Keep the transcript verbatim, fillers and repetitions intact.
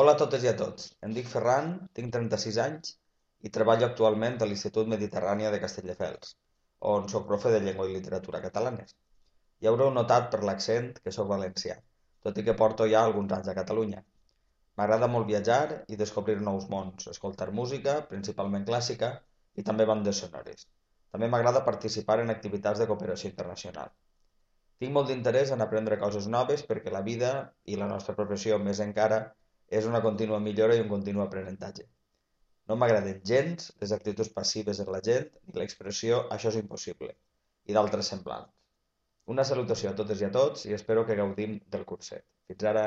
Hola a totes i a tots. Em dic Ferran, tinc trenta-sis anys i treballo actualment a l'Institut Mediterrània de Castelldefels, on soc profe de llengua i literatura catalanes. Ja haureu notat per l'accent que sóc valencià, tot i que porto ja alguns anys a Catalunya. M'agrada molt viatjar i descobrir nous mons, escoltar música, principalment clàssica, i també bandes sonores. També m'agrada participar en activitats de cooperació internacional. Tinc molt d'interès en aprendre coses noves perquè la vida, i la nostra professió més encara, és una contínua millora i un continu aprenentatge. No m'agraden gens les actituds passives en la gent ni l'expressió "això és impossible" i d'altres semblants. Una salutació a totes i a tots i espero que gaudim del curset. Fins ara!